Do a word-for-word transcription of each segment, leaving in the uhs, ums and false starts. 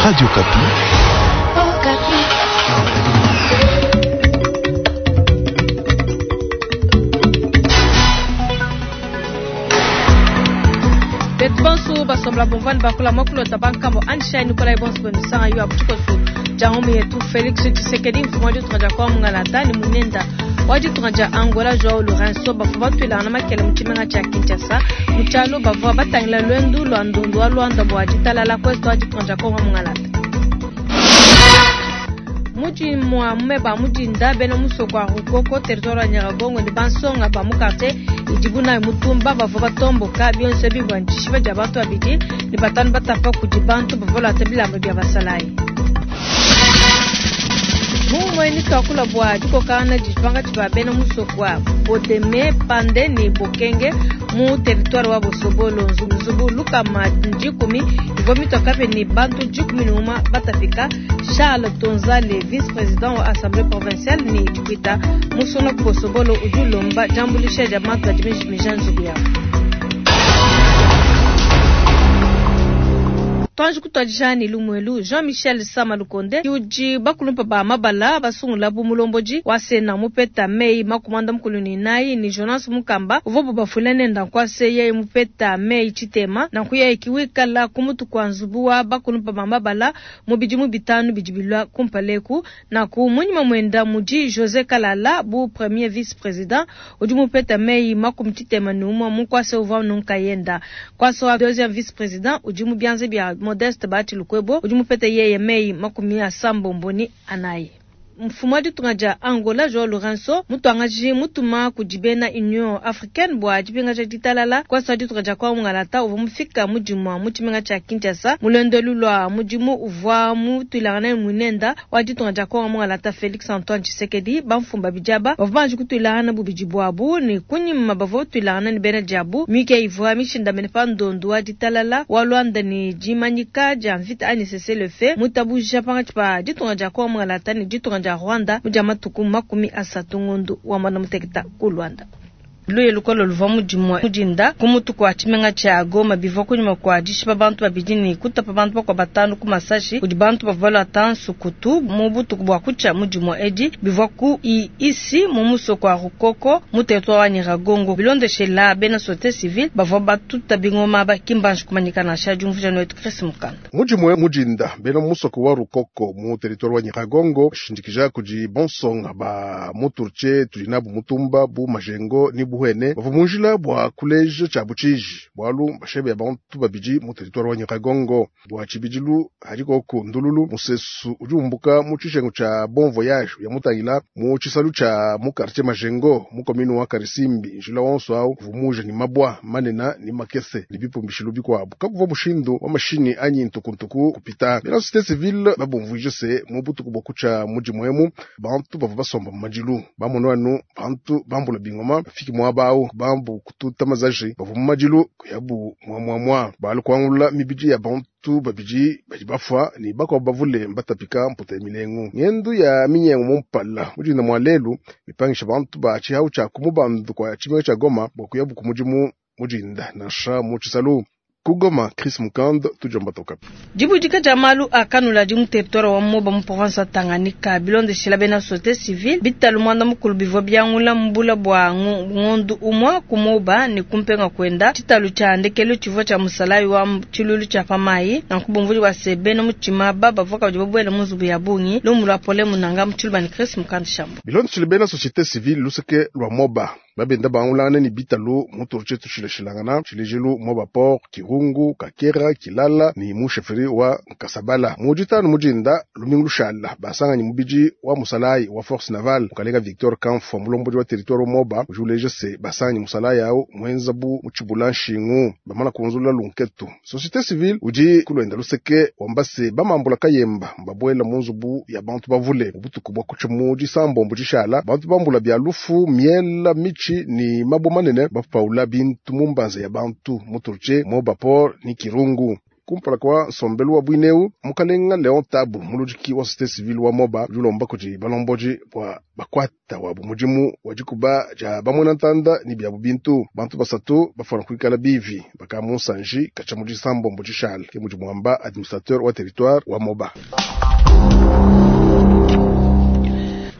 Radio Okapi. Betu bonso basombola bomvani bakula mwakulota bankambo Anshai Nikolai bonso benu yo abuchikosu jangomu yetu Felix Tshisekedi mfumu wa ditunga dia kwa mungalata ni munenda wa ditunga dia Angola Joao Lourenço bavua batuilangana makele mu tshimenga tshia Kinshasa mu tshialo bavua batangila lwendu lwa ndundu wa Luanda bua ditalala kwetu wa ditunga dia Kongo mungalata. Muji mwa mumeba mujinda bena musoko wa Rukoko territoire wa Nyiragongo ni bansonga ba mu quartier idibu nayo mutumba bavua batomboka bionso bivua ndishiba dia bantu babidi ni batanu batapa kudi bantu bavua balata bilamba bia basalayi. Mumwe ni twakula bua dikokana dipanga tshiba bena musoko wa Bodeme Pande ni Bokenge mu territoire wa Bosobolo nzubu lukama dikumi ivua mitoka ni bantu dikumi ni uma batafika. Charles Tonzale vice-président wa assemblée provinciale ni Twitter musona ku Bosobolo udi ulomba diambuluisha dia bantu badi mijimija nzubu yabo. Twanji kutwadijani lumwelu Jean-Michel Samalukonde udi bakulumpa ba mabala basungula bu mulomboji wa sena mupeta mei makumanda mukulu ni nayi ni Jonas Mukamba uvobo bafule nenda nkwase yeye mupeta mei chitema na nkuya ikiwikala kumutu kwa nzubu wa bakulumpa ba mabala mubidi mubitanu bidibilwa kumpaleku na ku munyima mwenda muji José Kalala bu premier vice-président udi mupeta mei makumi chitema ni umwa mukwase uva nunkayenda kwase wa deuxième vice-président udi mubianze bia Modeste Bahati Lukwebo udi mupete yeye mei makumi asambo mboni anayi. Mfumu wa ditunga dia Angola Joao Lourenço mutuangaji mutuma kudi bena Union Africaine bua dipingaja ditalala kwasa ditunga dia kwa mungalata uvua mufika mudimu mu tshimenga tshia Kinshasa mulondolu lwa mudimu uvua mutuilangana munenda wa ditunga dia kwa mungalata Felix Antoine Tshisekedi bamfumba bijaba bavua banji kutuilangana bubidi bwabu ni kunyima bavua tuilangana ni bena diabu mike ivua mishindamene pa ndondu wa ditalala wa Luanda ni dimanyika dia mvita ani cessez-le-feu mutabuja pangatshi pa ditunga dia kwa mungalata ni ditunga dia Rwanda muja matuku makumi asatu ngundu wa mwana muteketa ku Rwanda. Luye lukolo luvua mudimu mudinda kumutu kwa tshimenga tshia Goma bivua kunyuma kwa dishipa bantu babidi ni kutapa bantu bakwa batanu ku masashi kudi bantu bavua balata nsukutu mu butuku bua kutshia mudimu edi bivua ku isi mu musoko wa Rukoko mu territoire wa Nyiragongo bilondeshela bena société civile bavua batuta bingoma bakimbanji kumanyika nansha diumvuija netu Chris Mukanda. Mudimu mudinda bena musoko wa Rukoko mu territoire wa Nyiragongo shindikija kudi bonsonga ba muturche tulinabu mutumba bu majengo ni buhene bavua munjila bua kuleja tshia butshiji bwalu bashebe bantu babidi mu territoire wa Nyiragongo bua tshibidilu hadiko ndululu musesu udi umbuka mu tshishengo tshia Bon Voyage ya mutangila mu tshisalu tshia mu quartier Majengo mu commune wa Karisimbi njila wonso awu vumuja ni mabwa manena ni makese ni bipumbishilu bikwabu kakuva mushindu wa mashini anyi ntukuntuku kupita bena société civile babumvuije se mu butuku bwa kutsha mudimu bantu bavua basomba mu madilu bamono anu bantu bambula bingoma bafiki mwabao bambu kututa mazaji bavua mu madilu kuyabu mwamwamwa balu kuangula mibidi ya bantu babidi badi bafwa ni bakwa bavule mbatapika mputa ya milengu ngendu ya minyengo mumpala mudinda mwa lelu mipangisha bantu ba tshihau tshia kumubandu kwa tshimenga tshia Goma bwa kuyabu ku mudimu mudinda nansha mu tshisalu. Kugoma Chris Mukand tujomba tokapi. Dibudika dia malu akanula di mu territoire wa Moba mu province wa Tanganyika bilondeshela bena société civile bitalu mwanda mukulu bivua biangula mbula bua ngondu umwa ku Moba ni kumpenga kwenda tshitalu tshia ndekelu tshivua tshia musalayi wa tshilulu tshia pamayi na nkubumvuli wa sebe no mutshima baba bavua kabidi babuela mu nzubu ya bungi lumu lwa pole munanga mu tshiluba ni Chris Mukand shambo. Bilondeshela bena société civile luseke lwa Moba babenda bangulana ni bitalu muturche tushilashilangana tshilejelu Moba Port Kirungu Kakera Kilala ni musheferi wa Nkasabala mujitanu mujinda lumingu lushala basanganyi mubiji wa musalayi wa force navale mukalenga Victor Kamfwa mulomboji wa territoire Moba ujuleje se basanganyi musalayi awo mwenzabu muchibula nshingu bamala kunzula lunketu société civile udi kulwenda luseke wambase bamambula kayemba mbabwela munzubu ya bantu bavule ubutuku bwa kucha muji sambombo jishala bantu bambula bya lufu miela michi ni mabo manene bapaula bintu mumbanza ya bantu muturche Moba Port ni Kirungu. Kumpala kwa nsombelu wa bwineu, mukalenga Leon Tabu muludiki wa société civile wa Moba udi ulomba kudi balomboji bwa bakwata wabu mudimu wa dikuba dia bamwena ntanda ni byabu bintu. Bantu basatu bafana kuikala bivi baka munsanji kacha mu disambombo dishale ke mudi mwamba administrateur wa territoire wa Moba.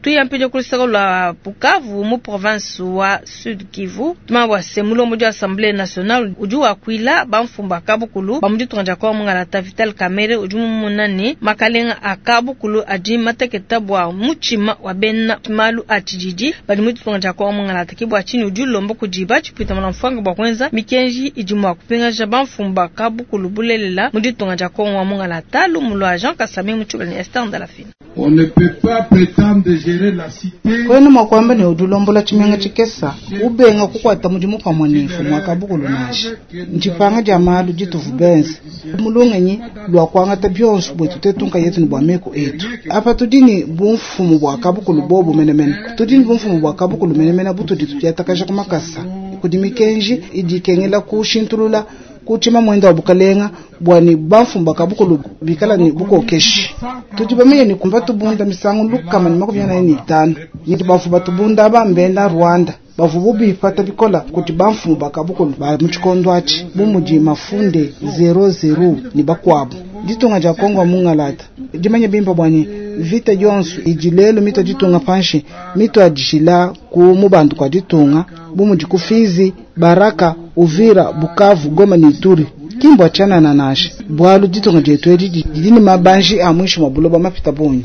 Tuyampile kulusaka lwa Bukavu mu province wa Sud Kivu tumabwa se mulombo dia Assemblée nationale udi wakwila bamfumba kabukulu bamuditunga dia kwa mungalata Vital Kamerhe udi mumunani makalenga akabukulu adi mateketa bwa muchima wa bena malu a tshididi badi muditunga dia kwa mungalata kibwa chini udi ulomba kudiba tshipita mwana mfanga bwa kwenza mikenji idi mwa kupingaja bamfumba kabukulu bulelela muditunga dia kwa mungalata lumulwa Jean Kasami muchubala ni Esther Ndalafina. On ne peut pas prétendre gérer la cité. Kwenu mwakwamba ne udulombola chimenga chikesa ubenga kukwata mudimu pamwe nefu mwakabukulu nashi ncipanga dia malu dituvu benze mulungenyi lwa kwangata byonso bwetu tetunka yetu ni bwa meko etu apa tudini bumfumu bwa kabukulu bobu menemene tudini bumfumu bwa kabukulu menemene butudi tudiatakaja kumakasa kudi mikenji idikengela kushintulula kuchima mwenda wa bukalenga bwani bamfumba kabukulu bikala ni bukokeshi tudi bamenye ni kumba tubunda misango lukama ni makumi anayi ni itanu niti bafu batubunda bambenda Rwanda bavubu bipata bikola kuti bamfumba kabukulu ba muchikondo achi bumudi mafunde zero zero ni bakwabu ditunga dia Kongo mungalata dimanye bimpa bwani vita yonso idilelo mito ditunga panshi mito adishila ku mubantu kwa ditunga bumudi kufizi Baraka Uvira Bukavu Goma ni Ituri kimbo achana na nashi bwalu ditunga jetu edi didini mabanji amwishi mwabuloba mapita bunyi.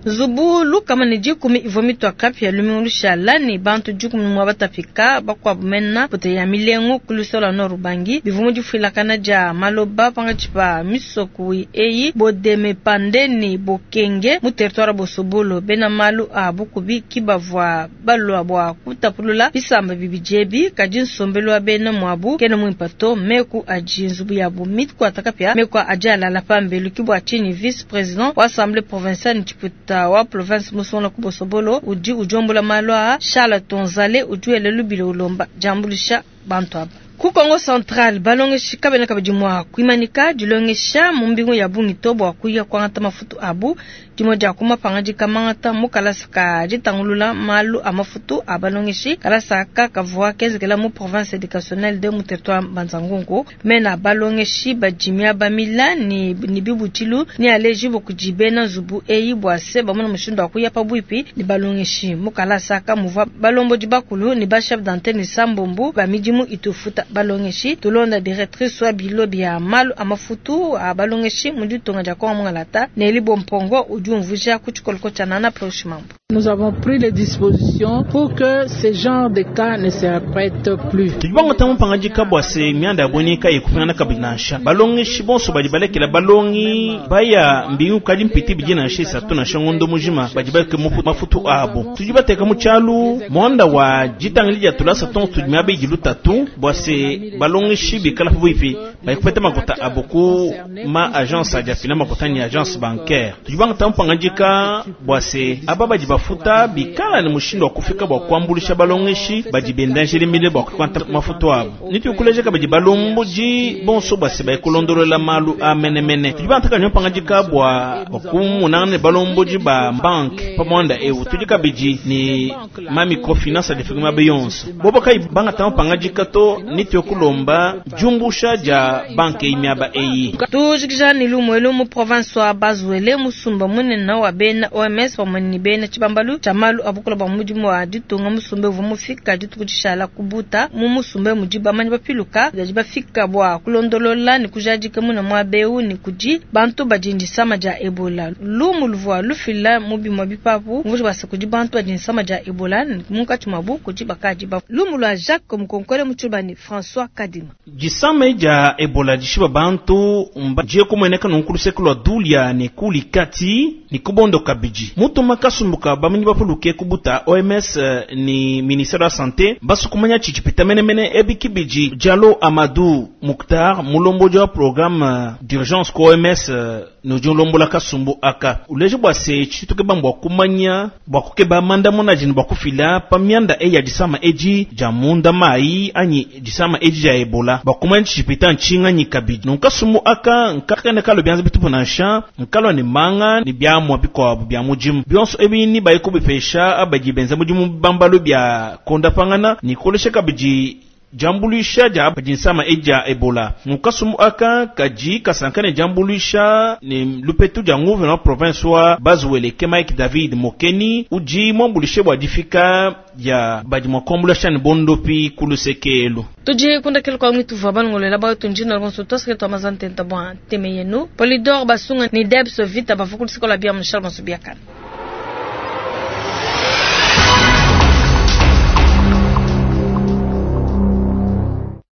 Zubu lukama ni dikumi ivo mitwa kapya lumiulusha lani bantu dikumi mwa batapika bakwa bumena pote ya milengo kulusola norubangi bivumu difwilakana dia maloba panga chipa misoku eyi bodeme pandeni bokenge mu territoire bosobolo bena malu a bukubi kibavwa balwa bwa kutapulula bisamba bibijebi kadi nsombelo wa bena mwabu kene mwimpato meku aji nzubu ya bu mitwa takapya meku aja la pambelu kibwa chini vice président wa assemblée provinciale nchiputa wa province musonla kubosobolo udi ujombola malwa Charles Tonzale udi elelu ulomba jambulisha bantu aba ku Kongo Central balongeshi kabena kabidi mwa kuimanika dilongesha mu mbingu ya bungito bwa kuya kwangata mafutu abu dimo dia kumapanga dikamangata mu kalasa ka ditangulula malu a mafutu a balongeshi kalasa ka kavua kezekela mu province éducationnelle de mu territoire Mbanza-Ngungu mena balongeshi badimia bamila ni, ni bibutilu ni aleji bokudibena nzubu eyi bwa se bamona mushindu wa kuya pabuipi ni balongeshi mu kalasa ka muvua balombo dibakulu ni ba chef d'antenne sambombu ba midimu itufuta balongeshi tulonda directrice wa bilo bya malu amafutu a balongeshi muditunga dia Kongo mungalata Neli Bompongo udi umvuja ku tshikoloko tshia Nana Proshimambo. Nous avons pris les dispositions pour que ce genre de cas ne se répète plus. Tudibanga tamu pangadika bwa se mianda ya bonika ikufana kabinasha balongeshi bonso badi balekela balongi baya mbingu kadi mpiti bijina shisa tuna shangondo mujima badi baleke mafutu abo tudibateka mu chalu mwanda wa jitangili dia tulasa ton tudimia bejilu tatu bwa se balongeshi bikala fuifi bayikupeta makota aboku ma agence aja fina makota ni agence bancaire tudibanga tamu pangadika bwa se aba badi bafuta bikala ni mushindo wa kufika bwa kuambulisha balongeshi badi bendanjele mile bwa kukwanta mafuto abo nitukulejeka badi balomboji bonso bwa se bayikulondolola malu a menemene tudibanga taka pangadika bwa kumunana ne balomboji ba banque pamwanda ewu tudika bidi ni ma microfinance adifika ma beyonso bobo kai banga tamu pangadika to nitukulomba jumbusha ja banque imiaba eyi tujikija ni lumwelu mu province wa Bazuele musumba munene wa bena O M S pamwe ni bena chibambalu cha malu abukula ba mudimu wa ditunga musumbe vumufika ditukutishala kubuta mu musumbe mudiba manyi bapiluka daji bafika bwa kulondolola ni kujadika muna mwabeu ni kuji bantu bajindisama ja Ebola lumu luvwa lufila mubimwa bipapu mvuji basa kuji bantu bajindisama ja Ebola munkati mwabu kuji bakaji ba lumu lwa Jacques Mukonkole muchubani François Kadima jisama ja Ebola jishiba bantu mba je kumweneka nunkulu sekulu dulia ne kuli kati ni kubondo kabiji mutu makasumbuka bua bamanyi bapuluke kubuta O M S ni ministère wa santé basukumanya tshitshipita menemene ebi kibidi. Diallo Amadou Muktar, mulombodi wa programme d'urgence ku O M S nudi ulombola kasumbu aka, uleje bua se tshituke bua kumanya bua kukeba mandamuna jini bua kufila pa mianda eyi ya disama edi dia munda mai anyi disama edi dia Ebola bua kumanya tshitshipita ntshinganyi kabidi. Nunku kasumbu aka nkakene kalo bianza bitupu nansha nkalua ne manga ne biamua bikuabu bia mudimu bionso ebi ni bayi kubipesha abadi benza mudimu bambalo bia kondapangana ni kolesha kabidi diambuluisha dia badi nsama edi dia Ebola. Mukasumbu aka kadi kasanka ne diambuluisha ne lupetu dia nguvena wa province wa Bas-Uele Mike David Mokeni udi muambulishe bua difika ya badi mua kuambulisha ne bondopi ku lusekelu. Tudi kundakela kwa mwitu vwa balongolela bawetu njina lonso twaseke twa mazantenta bwa nteme yenu Polidor Basunga ni Debs Vita bavukulisikola bia Michel Masubiakana.